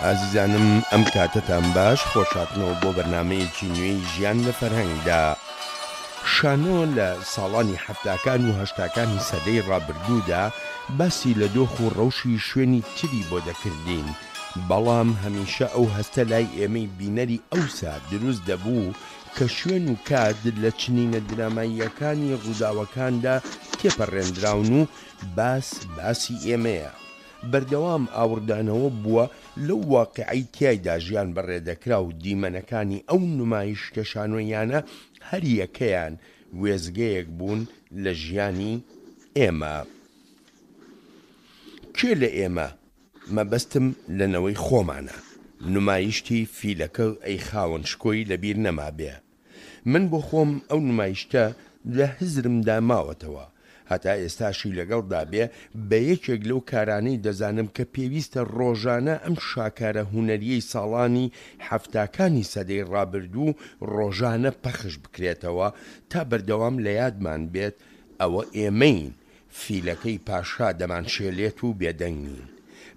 ئازیزانم ئەم کاتەتان باش خۆشهاتنەوە بۆ بەرنامەیەکی نوێی ژیان لە فەرهەنگدا. شانۆ لە ساڵانی حەفتاکان و هەشتاکانی سەدەی ڕابردوودا باسی لە دۆخ و ڕەوشی شوێنی تری بۆ دەکردین، بەڵام هەمیشە ئەو هەستە لای ئێمەی بینەری ئەوسا دروست دەبوو کە شوێن و کات لە چنینە دراماییەکانی ڕووداوەکاندا تێپەڕێندراون و باس باسی ئێمەیە. بەردەوام ئاوڕدانەوە بووە لەو واقیعەی تیایدا ژیان بەڕێدەکرا و دیمەنەکانی ئەو نمایشتە شانۆییانە هەریەکەیان وێستگەیەک بوون لە ژیانی ئێمە. کێ لە ئێمە، مەبەستم لە نەوەی خۆمانە، نمایشتی فیلەکە ئەی خاوەن شکۆی لەبیر نەمابێ؟ من بۆ خۆم ئەو نمایشتە لە هزرمدا ماوەتەوە، هەتا ئێستاشی لەگەڵدا بێ بە یەکێک لەو کارانەی دەزانم کە پێویستە ڕۆژانە ئەم شاکارە هونەریەی ساڵانی حەفتاکانی سەدەی ڕابردوو ڕۆژانە پەخش بکرێتەوە تا بەردەوام لە یادمان بێت ئەوە ئێمەین فیلەکەی پاشا دەمانشێلێت و بێدەنگ نین.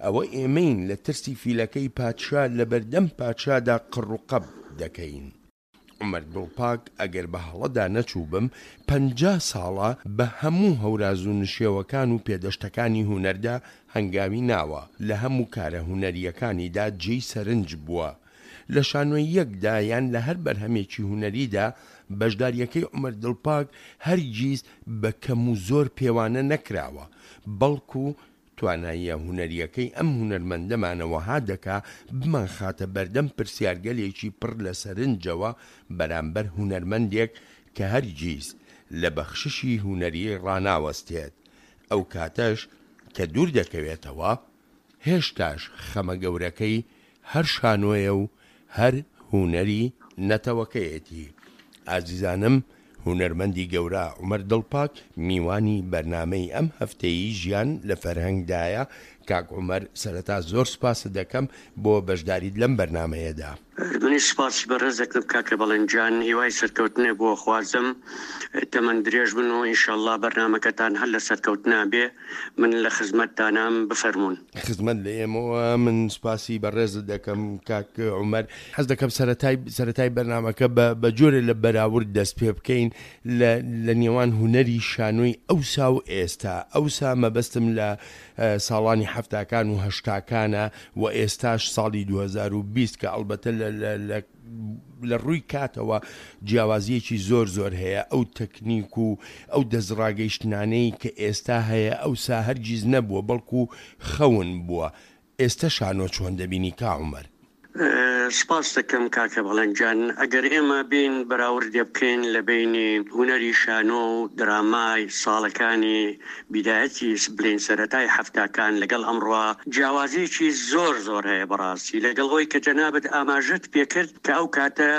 ئەوە ئێمەین لە ترسی فیلەکەی پادشا لەبەردەم پادشادا قڕوقەپ دەکەین. عومەر دڵپاک ئەگەر بە هەڵەدا نەچووبم 50 ساڵە بە هەموو هەوراز و نشێوەکان و پێدەشتەکانی هونەردا هەنگاوی ناوە، لە هەموو کارە هونەرییەکانیدا جێی سەرنج بووە. لە شانۆییەکدا یان لە هەر بەرهەمێکی هونەریدا بەشدارییەکەی عومەر دڵپاک هەرگیز بە کەم و زۆر پێوانە نەکراوە، بەڵکو تواناییە هونەرییەکەی ئەم هونەرمەندەمانە وەها دەکا بمانخاتە بەردەم پرسیارگەلێکی پڕ لە سەرنجەوە بەرامبەر هونەرمەندێک کە هەرگیز لە بەخششی هونەریی ڕاناوەستێت، ئەو کاتەش کە دوور دەکەوێتەوە، هێشتاش خەمە گەورەکەی هەر شانۆیە و هەر هونەری نەتەوەکەیەتی. ئازیزانم هونەرمەندی گەورە عومەر دڵپاک میوانی بەرنامەی ئەم هەفتەیی ژیان لە فەرهەنگدایە، کاک عومەر سەرەتا زۆر سوپاست دەکەم بۆ بەشداریت لەم بەرنامەیەدا. منیش سوپاسی بەڕێز دەکەم کاکە بەڵێن گیان هیوای سەرکەوتنێ بۆ خوازم تەمەن درێژ بن و ئینشەڵا بەرنامەکەتان هەر لە سەرکەوتنا بێ من لە خزمەتتانام بفەرموون. خزمەت لە ئێمەوە من سوپاسی بەڕێزت دەکەم کاک عومەر حەز دەکەم سەرەتای سەرەتای بەرنامەکە بە بە جۆرێ لە بەراورد دەست پێ بکەین لە لە نێوان هونەری شانۆی ئەوسا و ئێستا ئەوسا مەبەستم لە ساڵانی حەفتاکان و هەشتاکانە و ئێستاش ساڵی 2020 کە ئەڵبەتە لە لە لە لە ڕووی کاتەوە جیاوازیەکی زۆر زۆر هەیە ئەو تەکنیک و ئەو دەستڕاگەیشتنانەی کە ئێستا هەیە ئەوسا هەرگیز نەبووە بەڵکو خەون بووە ئێستە شانۆ چۆن دەبینی کا عومەر؟ سپاست دەکەم کاکە بەڵێن گیان، ئەگەر ئێمە بێین بەراوردێ بکەین لە بەینی هونەری شانۆ و درامای ساڵەکانی بیدایەتی بلێین سەرەتای حەفتاکان لەگەڵ ئەمڕۆ جیاوازیەکی زۆر زۆر هەیە بەڕاستی لەگەڵ ئەوەی کە جەنابت ئاماژەت پێکرد کە ئەو کاتە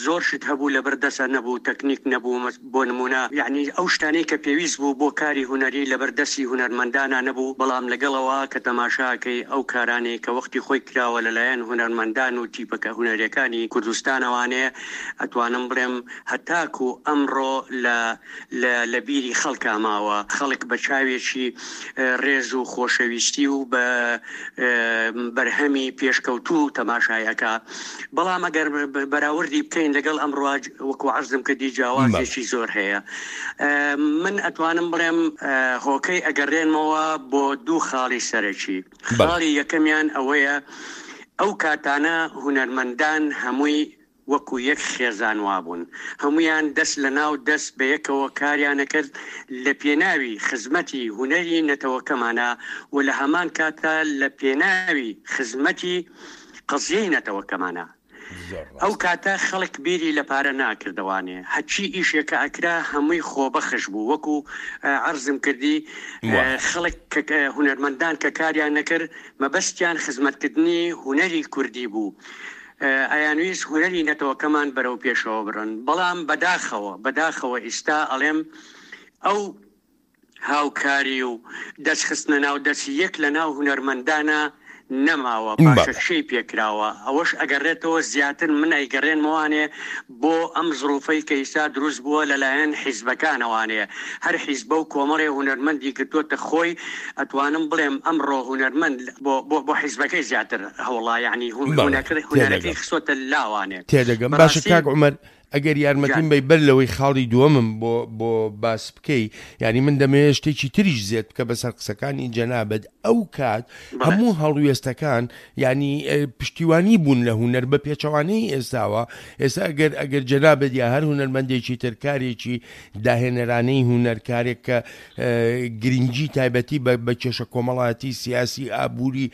زۆر شت هەبوو لەبەر دەسا نەبوو تەکنیک نەبوو بۆ نموونە یەعنی ئەو شتانەی کە پێویست بوو بۆ کاری هونەری لەبەر دەستی هونەرمەندانا نەبوو بەڵام لەگەڵ ئەوە کە تەماشا ئەکەی ئەو کارانەی کە وەختی خۆی کراوە لەلایەن هونەرمەندان و تیپەکە هونەریەکانی کوردستانەوانێ ئەتوانم بڵێم هەتاکوو ئەمڕۆ لە لە لە بیری خەڵکا ماوە، خەڵک بە چاوێکی ڕێز و خۆشەویستی و بە بەرهەمی پێشکەوتوو تەماشای ئەکا، بەڵام ئەگەر بەراوردی بکەین لەگەڵ ئەمڕۆ وەکو عەرزم کردی جیاوازێکی زۆر هەیە. من ئەتوانم بڵێم هۆکەی ئەگەڕێنمەوە بۆ دوو خاڵی سەرەکی، خاڵی یەکەمیان ئەوەیە ئەو کاتانە هونەرمەندان هەمووی وەکو یەک خێزان وابوون، هەموویان دەست لە ناو دەست بەیەکەوە کاریان ئەکرد لە پێناوی خزمەتی هونەری نەتەوەکەمانا و لە هەمان کاتا لە پێناوی خزمەتی قەزیەی نەتەوەکەمانا. ئەو کاتە خەڵک بیری لە پارە ناکردەوانێ، هەرچی ئیشێ کە ئەکرا هەمووی خۆبەخش بوو، وەکو عەرزم کردی خەڵک کە هونەرمەندان کە کاریان ئەکرد مەبەستیان خزمەتکردنی هونەری کوردی بوو، ئەیانویست هونەری نەتەوەکەمان بەرەو پێشەوە بڕن بەڵام بەداخەوە بەداخەوە ئیستا ئەڵێم ئەو هاوکاری و دەست خستنە ناو دەستی یەک لە ناو هونەرمەندانا. نەماوە پاشەکشەی پێکراوە ئەوەش ئەگەڕێتەوە زیاتر من ئەیگەڕێنمەوانێ بۆ ئەم زڕوفەی کە ئیستا دروست بووە لەلایەن حیزبەکانەوانێ هەر حیزبە و کۆمەڵێ هونەرمەندی گرتۆتە خۆی ئەتوانم بڵێم ئەمڕۆ هونەرمەند بۆ بۆ بۆ حیزبەکەی زیاتر هەوڵا یەعنی بەڵێ هونەرەکەی تێدەگەم. خستۆتە لاوانێ تێدەگەم باشە بەڕاستی کاک عومەر ئەگەر یارمەتیم گیان. بەی بەر لەوەی خاڵی دووەمم بۆ بۆ باس بکەی یانی من دەمەوێت شتێکی تریش زێد بکە بەسەر قسەکانی جەنابت ئەو کات بەڵێ. هەموو هەڵوێستەکان یانی پشتیوانی بوون لە هونەر بە پێچەوانەی ئێستاوە ئێستا ئەگەر ئەگەر جەنابت یا هەر هونەرمەندێکی تر کارێکی داهێنەرانەی هونەر کارێک کە گرنگی تایبەتی بە بە کێشە کۆمەڵایەتی سیاسی ئابووری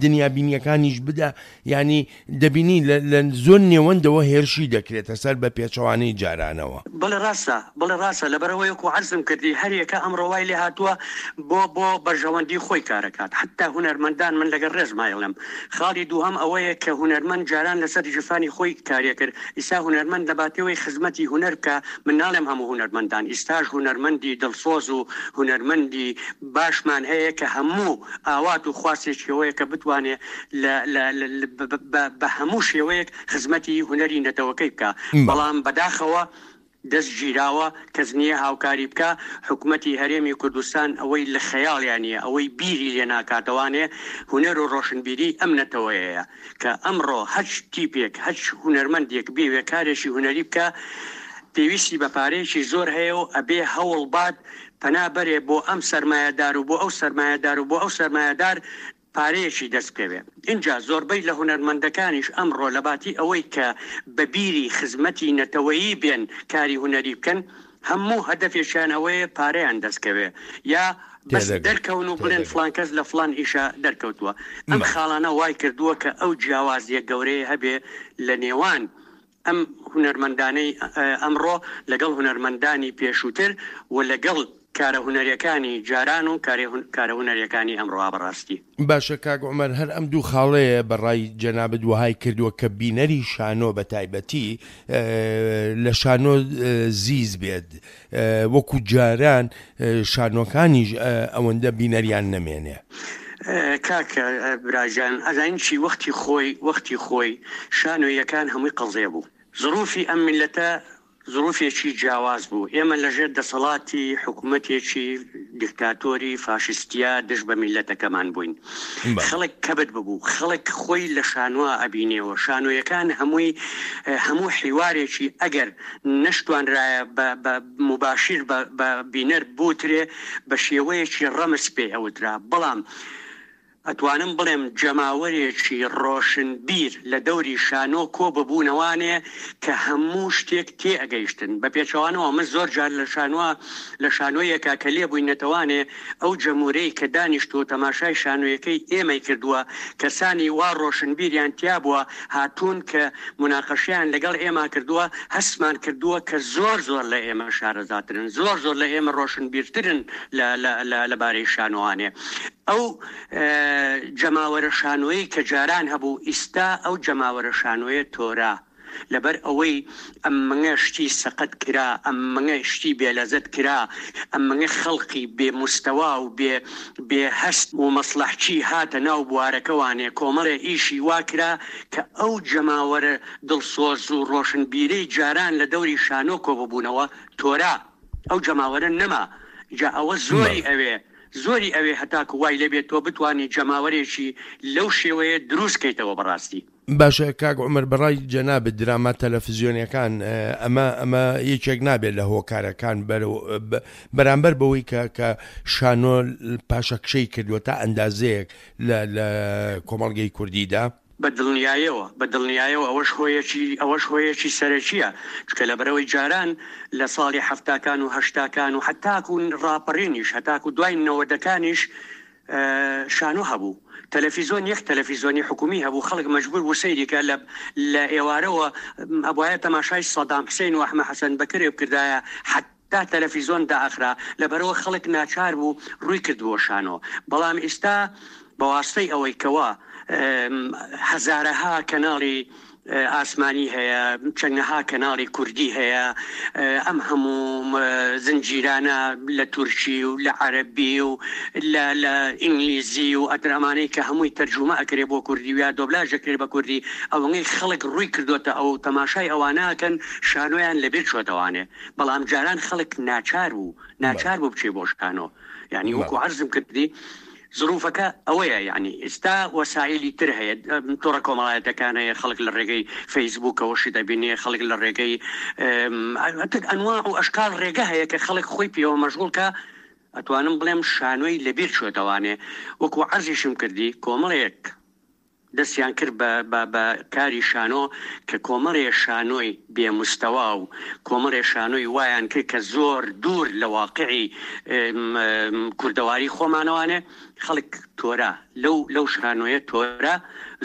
دنیابینیەکانیش بدا یانی دەبینی لە لە زۆر نێوەندەوە هێرشی دەکرێتە سەر بە پێچەوانەی جارانەوە. بەڵێ ڕاستە، بەڵێ ڕاستە، لەبەرئەوەی وەکو عەرزم کردی هەر یەکە ئەمڕۆ وای لێهاتووە بۆ بۆ بەرژەوەندی خۆی کارەکات، حەتتا هونەرمەندان من لەگەڵ ڕێزما ئەیڵێم. خاڵی دووهەم ئەوەیە کە هونەرمەند جاران لەسەر ژیرفانی خۆی کاریەکرد، ئیستا هونەرمەند لەباتی ئەوەی خزمەتی هونەر بکا، من ناڵێم هەموو هونەرمەندان، ئیستاش هونەرمەندی دڵسۆز و هونەرمەندی باشمان هەیە کە هەموو ئاوات و خواستێکی ئەوەیە کە بتوانێ لە لە بە بە هەموو شێوەیەک خزمەتی هونەری نەتەوەکەی بکا، بەڵام بەداخەوە دەست گیراوە کەس نییە هاوکاری بکا، حکومەتی هەرێمی کوردستان ئەوەی لە خەیاڵیا نییە، ئەوەی بیری لێ ناکاتەوانێ هونەر و ڕۆشنبیریی ئەم نەتەوەیەیە کە ئەمڕۆ هەچ تیپێک هەچ هونەرمەندێک بیەوێ کارێکی هونەری بکا پێویستی بە پارەیەکی زۆر هەیە و ئەبێ هەوڵ بات پەنا بەرێ بۆ ئەم سەرمایەدار و بۆ ئەو سەرمایەدار و بۆ ئەو سەرمایەدار پارەیەکی دەست بکەوێ. ئینجا زۆربەی لە هونەرمەندەکانیش ئەمڕۆ لەباتی ئەوەی کە بە بیری خزمەتی نەتەوەیی بێن کاری هونەری بکەن، هەموو هەدەفێکیان ئەوەیە پارەیان دەست کەوێ یا بەس تێدەگەم دەرکەون و بڵێن تێدەگەم. فڵان کەس لە فڵان ئیشا دەرکەوتووە. ئەم بەڵێ. خاڵانە وای کردووە کە ئەو جیاوازییە گەورەیە هەبێ لە نێوان ئەم هونەرمەندانەی ئەمڕۆ لەگەڵ هونەرمەندانی پێشووتر و لەگەڵ کارە هونەریەکانی جاران و کارە هونەریەکانی ئەمڕۆ بەڕاستی. باشە کاک عومەر هەر ئەم دوو خاڵەیە بە ڕای جەنابت وەهای کردووە کە بینەری شانۆ بە تایبەتی لە شانۆ زیز بێت وەکو جاران شانۆکانیش ئەوەندە بینەریان نەمێنێ؟ کاک براجان ئەزانی چی وەختی خۆی وەختی خۆی شانۆییەکان هەمووی قەزێ بوو زروفی ئەم میللەتە زروفێکی جیاواز بوو ئێمە لەژێر دەسەڵاتی حکومەتێکی دیکتاتۆری فاشیستیا دژ بە میللەتەکەمان بووین خەڵک کەبت ببوو خەڵک خۆی لە شانۆا ئەبینێەوە شانۆیەکان هەمووی هەموو حیوارێکی ئەگەر نەشتوانرایە بە بە موباشیر بە بە بینەر بوترێ بە شێوەیەکی ڕەمز پێی ئەوترا بەڵام ئەتوانم بڵێم جەماوەرێکی ڕۆشنبیر لە دەوری شانۆ کۆ ببوونەوانێ کە هەموو شتێک تێ ئەگەیشتن بە پێچەوانەوە من زۆر جار لە شانۆ لە شانۆیەکا کە لێ بووینەتەوانێ ئەو جەمورەی کە دانیشتووە تەماشای شانۆیەکەی ئێمەی کردووە کەسانی وا ڕۆشنبیریان تیابووە هاتوون کە موناقەشەیان لەگەڵ ئێمە کردووە هەستمان کردووە کە زۆر زۆر لە ئێمە شارەزاترن زۆر زۆر لە ئێمە ڕۆشنبیرترن لە لە لە لەبارەی شانۆوانێ ئەو جەماوەرە شانۆیەی کە جاران هەبوو ئیستا ئەو جەماوەرە شانۆیە تۆرا لەبەر ئەوەی ئەمنگە شتی سەقەت کرا، ئەمنگە شتی بێ لەزەت کرا، ئەمنگە خەڵقی بێ موستەوا و بێ بێ هەست و مەسڵەحچی هاتە ناو بوارەکەوانێ، کۆمەڵێ ئیشی وا کرا کە ئەو جەماوەرە دڵسۆز و ڕۆشنبیرەی جاران لە دەوری شانۆ کۆببوونەوە تۆرا، ئەو جەماوەرە نەما، جا ئەوە زۆری ئەوێ زۆری ئەوێ هەتاکو وای لێبێت تۆ بتوانی جەماوەرێکی لەو شێوەیە دروست کەیتەوە بەڕاستی. باشە کاک عومەر بەڕای جەنابت دراما تەلەفزیۆنیەکان ئەمە ئەمە یەکێک نابێت لە هۆکارەکان بەرامبەر بەوەی کە کە شانۆ پاشەکشەی کردووە تا ئەندازەیەک لە لە کۆمەڵگەی کوردیدا؟ بە دڵنیایەوە بە دڵنیایەوە ئەوەش هۆیەکی ئەوەش هۆیەکی سەرەکیە چونکە لەبەرئەوەی جاران لە ساڵی حەفتاکان و هەشتاکان و هەتاکو ڕاپەڕینیش هەتاکو دوای نەوەدەکانیش شانۆ هەبوو تەلەفیزۆن یەک تەلەفیزۆنی حکومی هەبوو خەڵک مەجبور بوو سەیری کە لە لە ئێوارەوە ئەبوایە تەماشای سەدام حسین و ئەحمە حەسەن بەکرێ بکردایە حەتا تەلەفیزۆن دائەخرا لەبەرئەوە خەڵک ناچار بوو ڕووی کردبووە شانۆ بەڵام ئیستا بەواستەی ئەوەی کەوا هەزارەها کەناڵی. ئاسمانی هەیە، چەندەها کەناڵی کوردی هەیە، ئەم هەموو زنجیرانە لە تورکی و لە عەرەبی و لە لە ئینگلیزی و ئەتر ئەمانەی کە هەمووی تەرجومە ئەکرێ بۆ کوردی و یا دۆبلاژ ئەکرێ بە کوردی، ئەوەنەی خەڵک ڕووی کردۆتە ئەو تەماشای ئەوانە ئەکەن شانۆیان لەبیر چۆتەوانێ، بەڵام جاران خەڵک ناچار بوو ناچار بوو بچێ بۆ شانۆ یانی وەکوو عەرزم کردی. زروفەکە ئەوەیە یەعنی ئیستا وەسائیلی تر هەیە تۆڕە کۆمەڵایەتەکان هەیە خەڵک لە ڕێگەی فەیسبوکەوە شت ئەبینێ خەڵک لە ڕێگەی ئەنواع و ئەشکال ڕێگە هەیە کە خەڵک خۆی پێوە مەشغوڵ کە ئەتوانم بڵێم شانۆی لەبیر چۆتەوانێ وەکو عەرزیشم کردی کۆمەڵێک دەستیان کرد بە بە بە کاری شانۆ کە کۆمەڵێ شانۆی بێ مستەوا و کۆمەڵێ شانۆی وایان کرد کە زۆر دوور لە واقعی کوردەواری خۆمانەوانێ خەڵک تۆرا لەو لەو شانۆیە تۆرا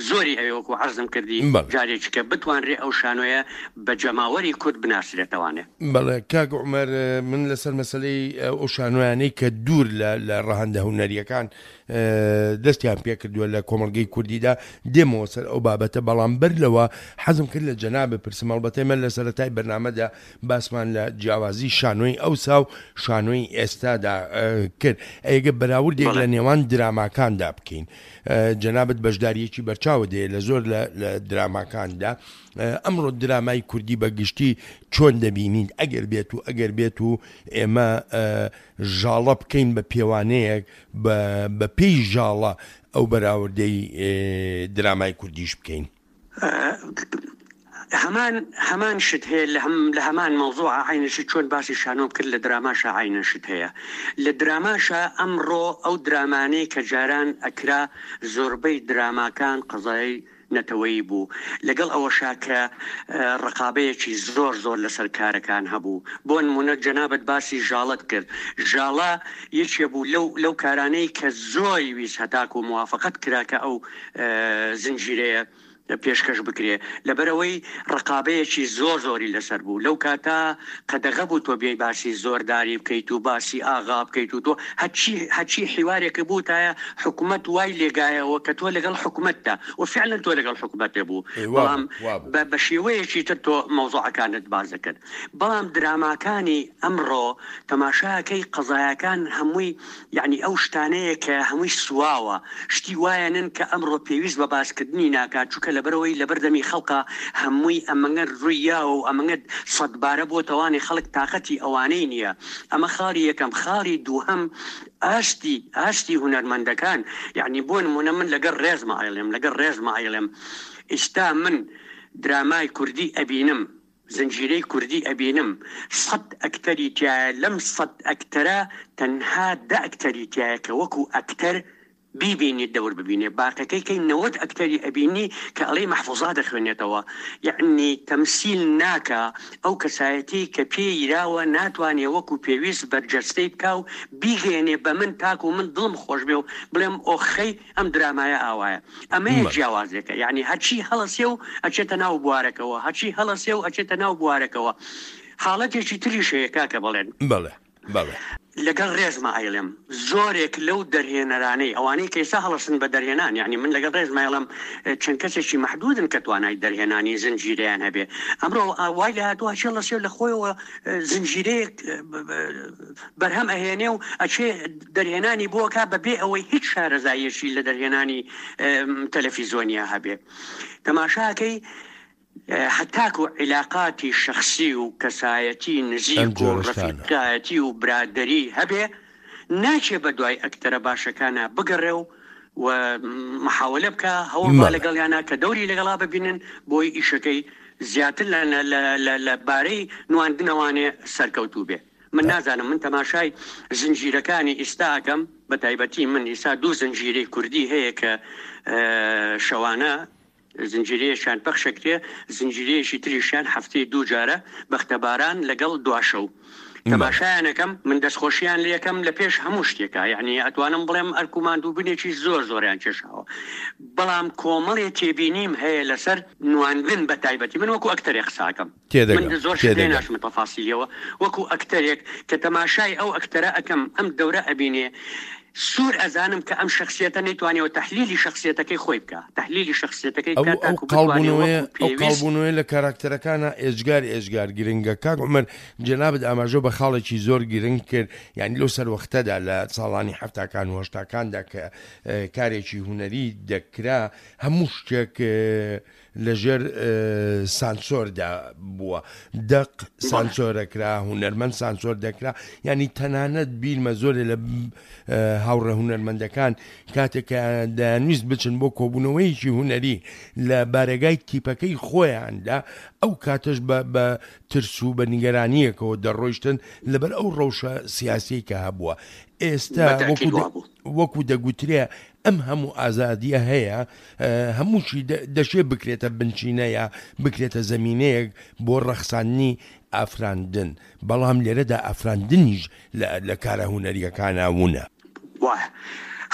زۆری ئەوێ وەکو عەرزم کردی بەڵێ. جارێکی کە بتوانرێ ئەو شانۆیە بە جەماوەری کورد بناسرێتەوانێ. بەڵێ کاک عومەر من لەسەر مەسەلەی ئەو شانۆیانەی کە دوور لە لە ڕەهەندە هونەرییەکان دەستیان پێکردووە لە کۆمەڵگەی کوردیدا، دێمەوە سەر ئەو بابەتە، بەڵام بەر لەوە حەزم کرد لە جەنابت بپرسم، ئەڵبەتە ئێمە لە سەرەتای بەرنامەدا باسمان لە جیاوازی شانۆی ئەوسا و شانۆی ئێستادا کرد، ئەگەر بەراوردێک لە نێوان دراماکاندا بکەین، جەنابت بەشدارییەکی بەرچاوت هەیە لە زۆر لە دراماکاندا، ئەمڕۆ درامای کوردی بە گشتی چۆن دەبینیت ئەگەر بێت و ئەگەر بێت و ئێمە ژاڵە بکەین بە پێوانەیەک بە بە پێی ژاڵە ئەو بەراوردەی درامای کوردیش بکەین. هەمان هەمان شت هەیە لە هەم لە هەمان مەوزوعا عەینە شت چۆن باسی شانۆم کرد لە دراماشا عەینە شت هەیە لە دراماشا ئەمڕۆ ئەو درامانەی کە جاران ئەکرا زۆربەی دراماکان قەزای نەتەوەیی بوو، لەگەڵ ئەوەشا کە ڕقابەیەکی زۆر زۆر لەسەر کارەکان هەبوو، بۆ نموونە جەنابت باسی ژاڵەت کرد، ژاڵە یەکێ بوو لەو لەو کارانەی کە زۆری ویست هەتاکوو موافەقەت کرا کە ئەو زنجیرەیە پێشکەش بکرێ، لەبەرئەوەی ڕقابەیەکی زۆر زۆری لەسەر بوو، لەو کاتە قەدەغە بوو تۆ بێی باسی زۆرداری بکەیت و باسی ئاغا بکەیت و تۆ هەرچی هەرچی حیوارێکە بووتایە حکومەت وای لێگایەوە کە تۆ لەگەڵ حکومەتدا و فعلا تۆ لەگەڵ حکومەتێ بوو ئێ وابوو بەڵام وابوو. بە بە شێوەیەکی تر تۆ مەوزوعەکانت باس دەکرد بەڵام دراماکانی ئەمڕۆ تەماشاکەی قەزایەکان هەمووی یەعنی ئەو شتانەیە کە هەمووی سواوە، شتی وایەنن کە ئەمڕۆ پێویست بە باسکردنی ناکات، چونکە لەبەرئەوەی لەبەر دەمی خەڵکا هەمووی ئەمەنگە رووی یاوە و ئەمەنگە سەدبارە بۆتەوانێ خەڵک تاقەتی ئەوانەی نییە، ئەمە خاڵی یەکەم، خاڵی دووهەم ئاستی ئاستی هونەرمەندەکان یەعنی بۆ نموونە من لەگەڵ رێزما ئەیڵێم لەگەڵ رێزما ئەیڵێم ئیستا من درامای کوردی ئەبینم، زنجیرەی کوردی ئەبینم سەت ئەکتەری تیایە لەم سەت ئەکتەرە تەنها دە ئەکتەری تیایە کە وەکو ئەکتەر بیبینیت دەور ببینێ باقەکەی کەی 90 ئەکتەری ئەبینی کە ئەڵێی مەحفوزات ئەخوێنێتەوە یەعنی تەمسیل ناکا ئەو کەسایەتی کە پێ یراوە ناتوانێ وەکو پێویست بەرجەستەی بکا و بیگەیەنێ بە من تاکو من دڵم خۆش بێ و بڵێم ئۆخەی ئەم درامایە ئاوایە ئەمەیە جیاوازێکە یعنی هەرچی هەڵەسێ و ئەچێتە ناو بوارەکەوە هەرچی هەڵەسێ و ئەچێتە ناو بوارەکەوە حاڵەتێکی تریش هەیە کاکە بەڵێن بەڵێ بەڵێ. لەگەڵ ڕێزما ئەیڵێم زۆرێک لەو دەرهێنەرانەی ئەوانەی کە ئێستا هەڵەسن بە دەرهێنان یعنی من لەگەڵ ڕێزما ئەیڵێم چەند کەسێکی مەحدودن کە توانای دەرهێنانی زنجیرەیان هەبێ ئەمڕۆ وای لێ هاتووە هەرچی هەڵەسێ لە خۆیەوە زنجیرەیەک بەرهەم ئەهێنێ و ئەچێ دەرهێنانی بۆ ئەکا بە بێ ئەوەی هیچ شارەزاییەکی لە دەرهێنانی تەلەفیزۆنیا هەبێ. تەماشاکەی هەتاکو عیلاقاتی شەخسی و کەسایەتی ئەم نزیک و جۆرە شتانە. ڕەفیقایەتی و برادەری هەبێ ناچێ بە دوای ئەکتەرە باشەکانا بگەڕێ و و محاوەلە بکا هەوڵ با بەڵێ. لەگەڵیانا کە دەوری لەگەڵا ببینن بۆی ئیشەکەی زیاتر لە لە لە لە بارەی نواندنەوانێ سەرکەوتوو بێ. من نازانم من تەماشای زنجیرەکانی ئیستا ئەکەم بە تایبەتی من ئیستا دوو زنجیرەی کوردی هەیە کە شەوانە زنجیرەیەکیان پەخشەکرێ زنجیرەیەکی تریشیان هەفتەی دوو جارە بەختەباران لەگەڵ دواشەو تەماشایانەکەم من دەستخۆشیان لەکەم لە پێش هەموو شتێکا یعنی ئەتوانم بڵێم ئەرک و ماندووبنێکی زۆر زۆریان کێشاوە بەڵام کۆمەڵێ تێبینیم هەیە لەسەر نواندن بە تایبەتی من وەکو ئەکتەرێک قساکەم تێدەگەم من زۆر شت لێ تێدەگەم. ناچمە تەفاسیلیەوە وەکو ئەکتەرێک کە تەماشای ئەو ئەکتەرە ئەکەم ئەم دەورە ئەبینێ. سوور ئەزانم کە ئەم شەخسیەتە نەیتوانیوە تەحلیلی شەخسیەتەکەی خۆی بکا، تەحلیلی شەخسیەتەکەی ئەو بکا ئەو تاکو بتوانێ قاڵبوونەوەیە وەکو ئەو پێویست. قاڵبوونەوەیە لە کاراکتەرەکانا ئێجگار ئێجگار گرنگە کاک عومەر جەنابت ئاماژە بە خاڵێکی زۆر گرنگ کرد یانی لەو سەروەختەدا لە ساڵانی حەفتاکان و هەشتاکاندا کە کارێکی هونەری دەکرا هەموو شتێک لە ژێر سانسۆردا بووە، دەق سانسۆرەکرا، هونەرمەند سانسۆر دەکرا، یانی تەنانەت بیرمە زۆرێ لە هاوڕێ هونەرمەندەکان کاتێک کە دەیانویست بچن بۆ کۆبوونەوەیەکی هونەری لە بارەگای تیپەکەی خۆیاندا ئەو کاتەش بە بە ترس و بە نیگەرانییەکەوە دەڕۆیشتن لەبەر ئەو ڕەوشە سیاسیەی کە هەبووە ئێستا وەکو دەگوترێ ئەم هەموو ئازادیە هەیە هەمووشی دەشێ بکرێتە بنچینە یا بکرێتە زەمینەیەک بۆ ڕەخساندنی ئافراندن، بەڵام لێرەدا ئافراندنیش لە کارە هونەرییەکانا ونە. وایە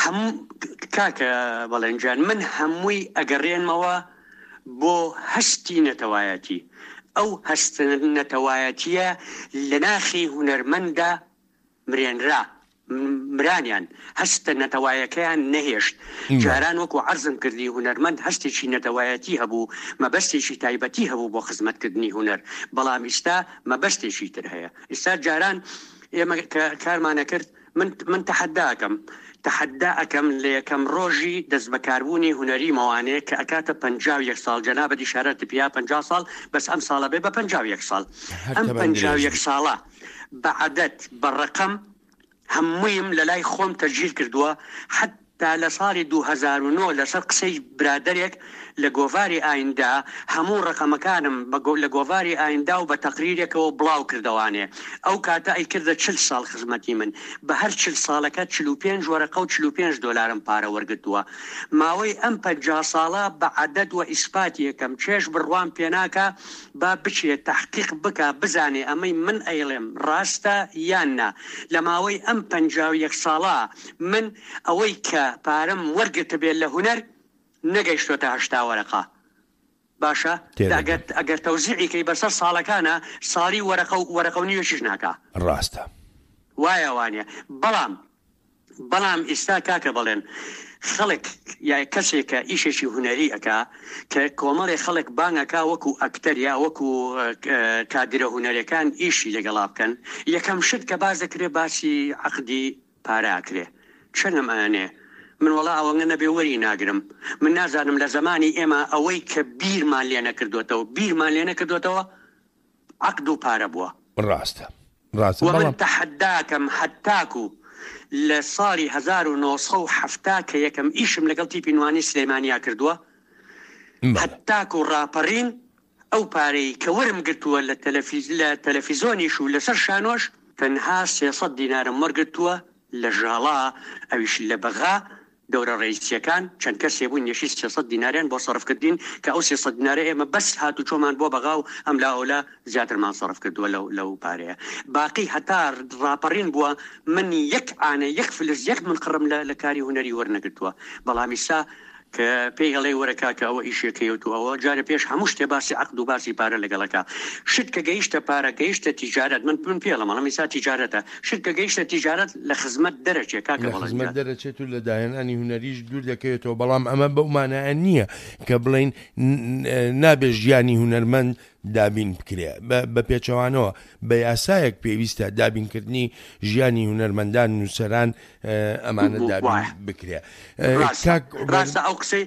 هەموو کاکە بەڵێن گیان من هەمووی ئەگەڕێنمەوە بۆ هەستی نەتەوایەتی ئەو هەستە نەتەوایەتیە لە ناخی هونەرمەندا مرێنرا، مرانیان، هەستە نەتەوایەکەیان نەهێشت. جاران وەکو عەرزم کردی هونەرمەند هەستێکی نەتەوایەتی هەبوو، مەبەستێکی تایبەتی هەبوو بۆ خزمەتکردنی هونەر، بەڵام ئیستا مەبەستێکی تر هەیە. ئیستا جاران ئێمە کە کارمان ئەکرد، من من تەحەدا ئەکەم، تەحەدا ئەکەم لە یەکەم ڕۆژی دەستبەکاربوونی هونەریمەوانێ کە ئەکاتە 51 ساڵ، جەنابت ئیشارەتت پیا 50 ساڵ، بەس ئەم ساڵە بێ بە 51 ساڵ. هەر ئەم تەمەن پەنجا و درێژ یەک بی. ساڵە بە عەدەد، بە ڕەقەم هەموویم لەلای خۆم تەسجیل کردووە، حەتتا لە ساڵی 2009 لەسەر قسەی برادەرێک لە گۆڤاری ئایندە هەموو ڕەقەمەکانم بە لە گۆڤاری ئایندە و بە تەقریرێکەوە بڵاو کردەوانێ. ئەو کاتە ئەیکردە 40 ساڵ خزمەتی من. بە هەر 40 ساڵەکە 45 وەرەقە و 45 دۆلارم پارە وەرگرتووە. ماوەی ئەم 50 ساڵە بە عەدەد وە ئیسپاتی ئەکەم. کێش بڕوام پێناکا با بچێ تەحقیق بکا بزانێ ئەمەی من ئەیڵێم ڕاستە یان نا، لە ماوەی ئەم 51 ساڵە من ئەوەی کە پارەم وەرگرتبێ لە هونەر نەگەیشتۆتە 80 وەرەقە باشە ئەگەر تێدەگەم. ئەگەر تەوزیعی کەی بەسەر ساڵەکانا ساڵی وەرەقە و وەرەقە و نیوێکیش ناکا. ڕاستە. وایە وانیە بەڵام بەڵام ئیستا کاکە بەڵێن خەڵک یا کەسێک کە ئیشێکی هونەری ئەکا کە کۆمەڵێ خەڵک بانگ ئەکا وەکو ئەکتەر یا وەکو کادرە هونەرەکان ئیشی لەگەڵا بکەن یەکەم شت کە باس دەکرێ باسی عەقدی پارە ئەکرێ چەنم ئەنێ من وەڵا ئەوەنگە نەبێ وەری ناگرم من نازانم لە زەمانی ئێمە ئەوەی کە بیرمان لێ نەکردۆتەوە بیرمان لێ نەکردۆتەوە عەقد و پارە بووە. ڕاستە ڕاستە وە من بەڵام. تەحەداکەم هەتاکو لە ساڵی 1970 کە یەکەم ئیشم لەگەڵ تیپی نوانی سلێمانیا کردووە بەڵێ. هەتاکو ڕاپەڕین ئەو پارەی کە وەرم گرتووە لە لە تەلەفیزۆنیش و لەسەر شانۆش تەنها 300 دینارم وەرگرتووە لە ژاڵا ئەویش لە بەغا دەورە ڕەئیسیەکان چەند کەسێ بوون یەشی 300 دیناریان بۆ سەرف کردین کە ئەو 300 دینارە ئێمە بەس هاتوچۆمان بۆ بەغا و ئەملا ئەولا زیاترمان سەرف کردووە لەو لەو پارەیە باقی هەتا ڕاپەڕین بووە من یەک عانە یەک فلس یەک منقڕم لە لە کاری هونەری وەرنەگرتووە بەڵام ئیستا کە پێی ئەڵێی وەرە کاکە ئەوە ئیشێکەیە و تۆ ئەوە جارێ پێش هەموو شتێ باسی عەقد و باسی پارە لەگەڵ ئەکا شت کە گەیشتە پارە گەیشتە تیجارەت من من پێی ئەڵێم ئەڵێم ئیستا تیجارەتە شت کە گەیشتە تیجارەت لە خزمەت دەرەچێ کاکە لە بەڵێن خزمەت جان. دەرەچێت و لە داهێنانی هونەریش دوور دەکەوێتەوە، بەڵام ئەمە بەو مانایە نییە کە بڵێین نابێ ژیانی هونەرمەند دابین بکرێ، بە پێچەوانەوە بە یاسایەک پێویستە دابینکردنی ژیانی هونەرمەندان، نووسەران ئەمانە دابین وایە بکرێ. ڕاستە کاک عومەر ڕاستە ئەو قسەی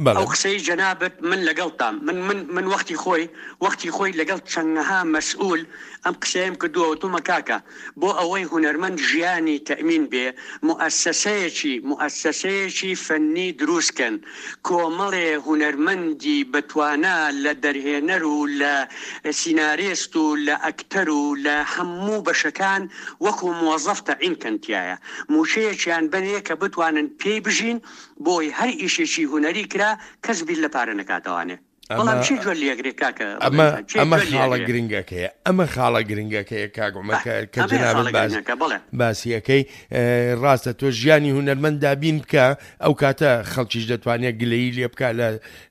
بەڵێ. ئەو قسەی جەنابت من لەگەڵتام من من من وەختی خۆی وەختی خۆی لەگەڵ چەندەها مەسئول ئەم قسەیەم کردووە وتومە کاکە بۆ ئەوەی هونەرمەند ژیانی تەئمین بێ موئەسەسەیەکی موئەسەسەیەکی فەنی دروست کەن کۆمەڵێ هونەرمەندی بەتوانا لە دەرهێنەر و لە سینارێست و لە ئەکتەر و لە هەموو بەشەکان وەکو مۆزەف تەعین کەن تیایا موچەیەکیان بەنێ کە بتوانن پێی بژین بۆی هەر ئیشێکی هونەری کرا کەس بیر لە پارە نەکاتەوانێ ئەمە بەڵام کێ گوێ لێگرێ کاکە ئەمە ڕەبەن جان کێ ئەمە گوێ خاڵە لێگرێ گرنگەکەیە ئەمە خاڵە گرنگەکەیە کاک عومەر ئه کە کە ئەمەیە جەنابت خاڵە باس گرنگەکە بەڵێ باسیەکەی ڕاستە تۆ ژیانی هونەرمەند دابین بکە ئەو کاتە خەڵکیش دەتوانێت گلەیی لێ بکە لە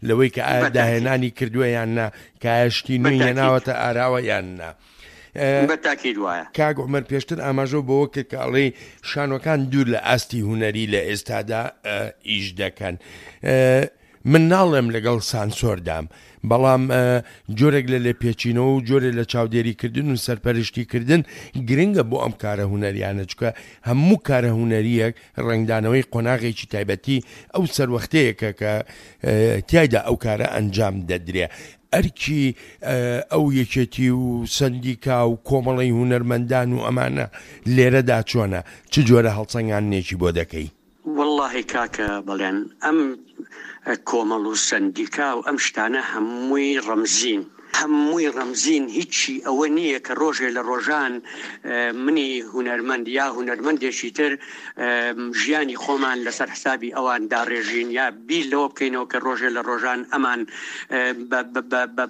لەوەی کە ئایا بەتەئکید داهێنانی کردووە یان نا کە ئایا شتی نوێی بەتەئکید هێناوەتە ئاراوە یان نا. بە تاکید وایە. کاک عومەر پێشتر ئاماژەو بەوە کرد کە ئەڵێی شانۆکان دوور لە ئاستی هونەری لە ئێستادا ئیش دەکەن. من ناڵێم لەگەڵ سانسۆردام، بەڵام جۆرێک لە لێپێچینەوە و جۆرێ لە چاودێریکردن و سەرپەرشتیکردن گرنگە بۆ ئەم کارە هونەریانە، چونکە هەموو کارە هونەرییەک ڕەنگدانەوەی قۆناغێکی تایبەتی ئەو سەروەختەیەکە کە تیایدا ئەو کارە ئەنجام دەدرێ. ئەرکی ئەو یەکێتی و سەندیکا و کۆمەڵەی هونەرمەندان و ئەمانە لێرەدا چۆنە؟ چ جۆرە هەڵسەنگاندنێکی بۆ دەکەی؟ وەڵاهی کاکە بەڵێن ئەم کۆمەڵ و سەندیکا و ئەم شتانە هەمووی ڕەمزین هەمووی ڕەمزین هیچی ئەوە نییە کە ڕۆژێ لە ڕۆژان منی هونەرمەند یا هونەرمەندێکی تر ژیانی خۆمان لەسەر حسابی ئەوان داڕێژین یا بیر لەوە بکەینەوە کە ڕۆژێ لە ڕۆژان ئەمان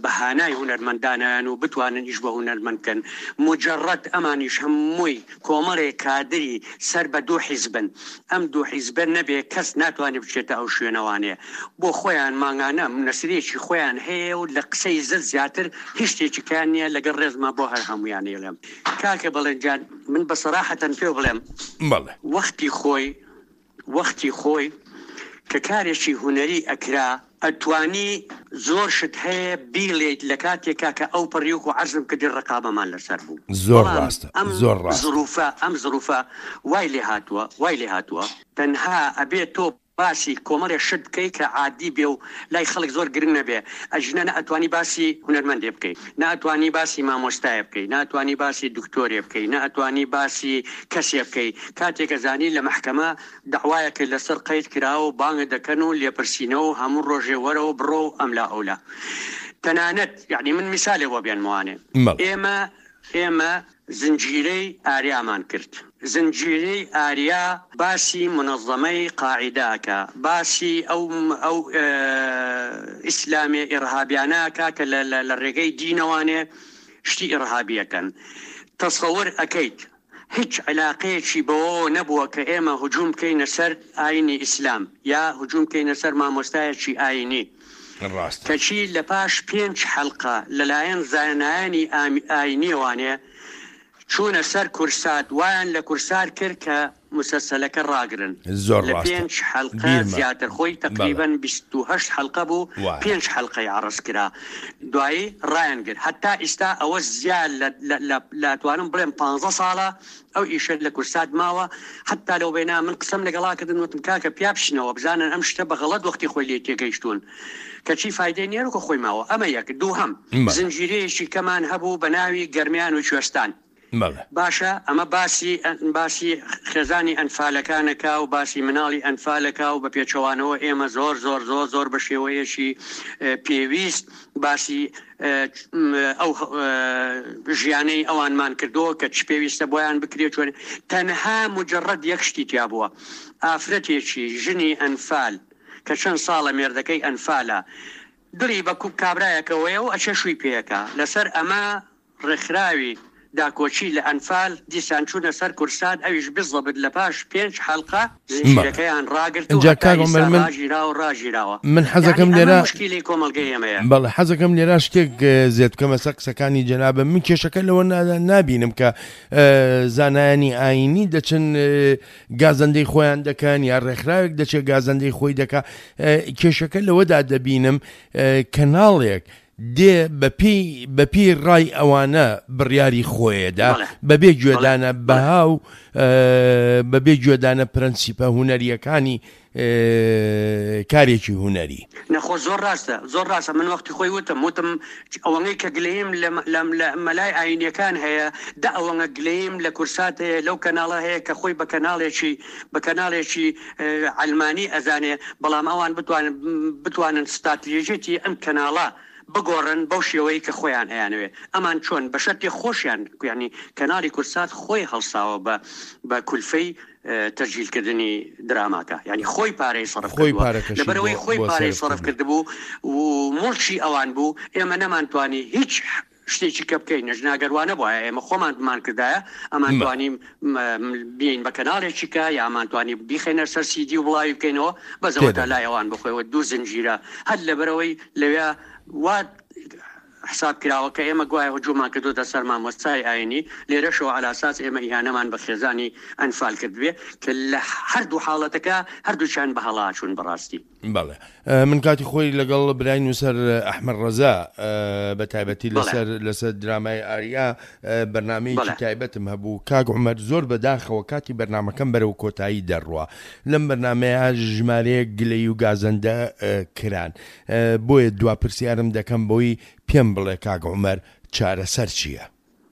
بە هانای هونەرمەندانیان و بتوانن ئیش بە هونەرمەند بکەن مجرد ئەمانیش هەمووی کۆمەڵێ کادری سەر بە دوو حیزبن، ئەم دوو حیزبە نەبێ کەس ناتوانێ بچێتە ئەو شوێنەوانێ، بۆ خۆیان مانگانە نەسرێکی خۆیان هەیە و لە قسەی زل زیاتر هیچ شتێکی کەیان نیە، لەگەڵ ڕێزما بۆ هەر هەموویان ئەیڵێم کاکە بەڵێن گیان من بە سەراحەتەن پێو بڵێم بەڵێ. وەختی خۆی وەختی خۆی کە کارێکی هونەری ئەکرا ئەتوانی زۆر شت هەیە بیڵێیت لە کاتێکا کە ئەو پەڕی وەکو عەرزم کردی ڕەقابەمان لەسەر بوو زۆر بەڵام ڕاستە ئەم زۆر ڕاستە. زروفە ئەم زروفە وای لێ هاتووە وای لێ هاتووە تەنها ئەبێ تۆ باسی کۆمەڵێ شت بکەی کە عادی بێ و لای خەڵک زۆر گرنگ نەبێ ئەگینا نە ئەتوانی باسی هونەرمەندێ بکەی نە ئەتوانی باسی مامۆستایێ بکەی نە ئەتوانی باسی دکتۆرێ بکەی نە ئەتوانی باسی کەسێ بکەی کاتێک ئەزانی لە مەحکەمە دەعوایەکت لەسەر قەید کراوە و بانگت دەکەن و لێپرسینەوە و هەموو ڕۆژێ وەرە و بڕۆ و ئەملا ئەولا تەنانەت یەعنی من میسالێ بۆ بێنمەوانێ ئێمە ئێمە زنجیرەی ئاریامان کرد. زنجیرەی ئاریا باسی مونەزەمەی قاعیدە ئەکا، باسی ئەو ئەو ئیسلامیە ئیڕهابیانە ئەکا کە لە لە ڕێگەی دینەوانێ شتی ئیڕهابی ئەکەن. تەسەور ئەکەیت هیچ عیلاقەیەکی بەوەوە نەبووە کە ئێمە هجوم بکەینە سەر ئاینی ئیسلام یا هجوم بکەینە سەر مامۆستایەکی ئاینی. ڕاستە. کەچی لە پاش پێنچ حەلقە لەلایەن زانایانی ئاینیەوانێ چوونە سەر کورسات وایان لە کورسات کرد کە مسەسەلەکە ڕاگرن زۆر لە ڕاستە پێنچ حەلقە بیرمە زیاتر خۆی بەڵێ. تەقریبەن 28 حەلقە بوو وایە. پێنج حەلقەی عەڕز کرا دوایی ڕایان گرت هەتا ئیستا ئەوە زیاد لە لە لە لە ئەتوانم بڵێم پانزە ساڵە ئەو ئیشە لە کورسات ماوە حەتا لەو بەینا من قسەم لەگەڵا کردن وتم کاکە پیا بچنەوە بزانن ئەم شتە بە غەڵەت وەختی خۆی لێی تێگەیشتوون کەچی فایدەی نیە وەکو خۆی ماوە ئەمە یەک دووهەم بەڵێ. زنجیرەیەکی کەمان هەبوو بە ناوی گەرمیان و کوێستان بەڵێ. باشە ئەمە باسی باسی خێزانی ئەنفالەکانەکا و باسی مناڵی ئەنفالەکا و بە پێچەوانەوە ئێمە زۆر زۆر زۆر زۆر بە شێوەیەکی پێویست باسی ئەو ژیانەی ئەوانمان کردووە کە چ پێویستە بۆیان بکرێت چۆن تەنها مجرد یەک شتی تیا بووە ئافرەتێکی ژنی ئەنفال کە چەند ساڵە مێردەکەی ئەنفالە دڵی بە کوب کابرایەکەوەیە و ئەچێ شووی پێیەکە لەسەر ئەمە ڕێکخراوی داکۆکی لە ئەنفال دیسان چوونە سەر کورسات ئەویش بزەبت لە پاش پێنج حەلقە زنجیرەکەیان ڕاگرت و ئینجا هەتا کاک ئیستا عومەر من ڕاگیرا و ڕاگیراوە من یانی حەزەکەم ئەمە لێرە موشکیلەی کۆمەڵگەی ئێمەیە. بەڵێ حەزەکەم لێرە شتێک زێد بکەمە سەر قسەکانی جەنابم من کێشەکە لەوە نابینم کە زانایانی ئایینی دەچن گازەندەی خۆیان دەکەن یا ڕێکخراوێک دەچێت گازەندەی خۆی دەکا کێشەکە لەوەدا دەبینم کەناڵێک دێ بەپێی بەپێی ڕای ئەوانە بڕیاری خۆیەدا بەڵێ بەبێ بەڵێ گوێدانە بەڵێ بەها و بەبێ گوێدانە پرەنسیپە هونەرییەکانی کارێکی هونەری. نەخۆ زۆر ڕاستە زۆر ڕاستە من وەختی خۆی وتم وتم ئەوەنەی کە گلەییم لە لە لە مەلای ئاینیەکان هەیە دە ئەوەنە گلەییم لە کورسات هەیە لەو کەناڵە هەیە کە خۆی بە کەناڵێکی بە کەناڵێکی عەلمانی ئەزانێ بەڵام ئەوان بتوانن بتوانن ستاتریژیتی ئەم کەناڵە بگۆڕن بەو شێوەی کە خۆیان ئەیانەوێ ئەمان چۆن بە شەرتێ خۆشیان یانی کەناڵی کورسات خۆی هەڵساوە بە بە کولفەی تەسجیل کردنی دراماکە یانی خۆی پارەی سەرف خۆی کردووە پارەکەشی بۆ لەبەرئەوەی خۆی بۆ پارەی سەرف سەرف کردووە. کردبوو و موڵکی ئەوان بوو ئێمە نەمانتوانی هیچ شتێکی کە بکەین نەژنا گەر وا نەبوایە ئێمە خۆمان بمان کردایە ئەمان توانی بین بە کەناڵێکی کە یا ئەمان توانی بیخەینە سەر سیدی و بڵاوی بکەینەوە بەس ئەوە تا لای ئەوان بخۆیەوە دوو زنجیرە هەر لەبەرەوەی لەوێ وا. حساب کراوە کە ئێمە گوایە هجوممان کردۆتە سەر مامۆستای ئاینی، لێرەشەوە عەلاساس ئێمە ئیهانەمان بە خێزانی ئەنفال کردبێ، کە لە هەردوو حاڵەتەکە هەردووکیان بە هەڵا چوون بەڕاستی. بەڵێ من کاتی خۆی لەگەڵ برای نووسەر ئەحمەد ڕەزا بە تایبەتی لەسەر لەسەر درامای ئاریا بەرنمەیەکی تایبەتم هەبوو کاک عومەر زۆر بەداخەوە کاتی بەرنمەکەم بەرەو کۆتایی دەڕوا لەم بەرنمەیە ژمارەیەک گلەی و گازەندە کران بۆیە دوا پرسیارم دەکەم بۆی پێم بڵێ کاک عومەر چارەسەر چییە؟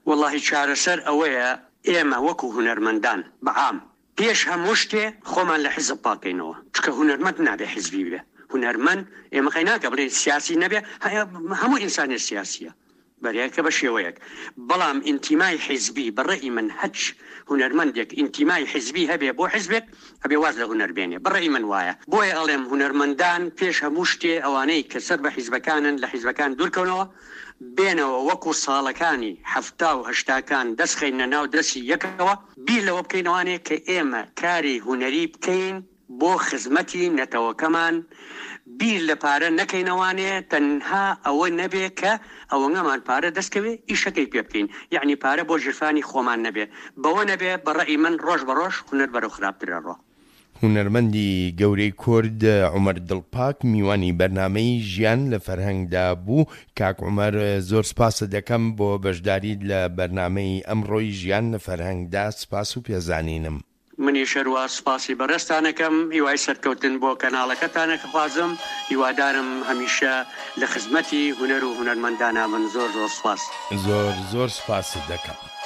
وەڵاهی چارەسەر ئەوەیە ئێمە وەکو هونەرمەندان بە عام پێش هەموو شتێ خۆمان لە حیزب پاکەینەوە چونکە هونەرمەند نابێ حیزبی بێ هونەرمەند ئێمە قەی ناکە بڵێین سیاسی نەبێ هەموو ئینسانێ سیاسیە بەرێکە بە شێوەیەک بەڵام ئینتیمای حیزبی بە ڕەئی من هەچ هونەرمەندێک ئینتیمای حیزبی هەبێ بۆ حیزبێک ئەبێ واز لە هونەر بێنێ بە ڕەئی من وایە بۆیە ئەڵێم هونەرمەندان پێش هەموو شتێ ئەوانەی کە سەر بە حیزبەکانن لە حیزبەکان دوورکەونەوە بێنەوە وەکو ساڵەکانی حەفتا و هەشتاکان دەست خەینە ناو دەستی یەکەوە بیر لەوە بکەینەوانێ کە ئێمە کاری هونەری بکەین بۆ خزمەتی نەتەوەکەمان بیر لە پارە نەکەینەوانێ تەنها ئەوە نەبێ کە ئەوەنگەمان پارە دەست کەوێ ئیشەکەی پێ بکەین یەعنی پارە بۆ ژیرفانی خۆمان نەبێ بەوە نەبێ بە ڕەئی من ڕۆژ بە ڕۆژ هونەر بەرەو خراپتر ئەڕوا. هونەرمەندی گەورەی کورد عومەر دڵپاک میوانی بەرنامەی ژیان لە فەرهەنگدا بوو، کاک عومەر زۆر سپاست دەکەم بۆ بەشداریت لە بەرنامەی ئەمڕۆی ژیان لە فەرهەنگدا سپاس و پێزانینم. منیش هەروا سوپاسی بەڕێزتان ئەکەم، هیوای سەرکەوتن بۆ کەناڵەکەتان ئەخوازم، هیوادارم هەمیشە لە خزمەتی هونەر و هونەرمەندانا بن، زۆر زۆر سوپاس. زۆر زۆر سوپاست دەکەم.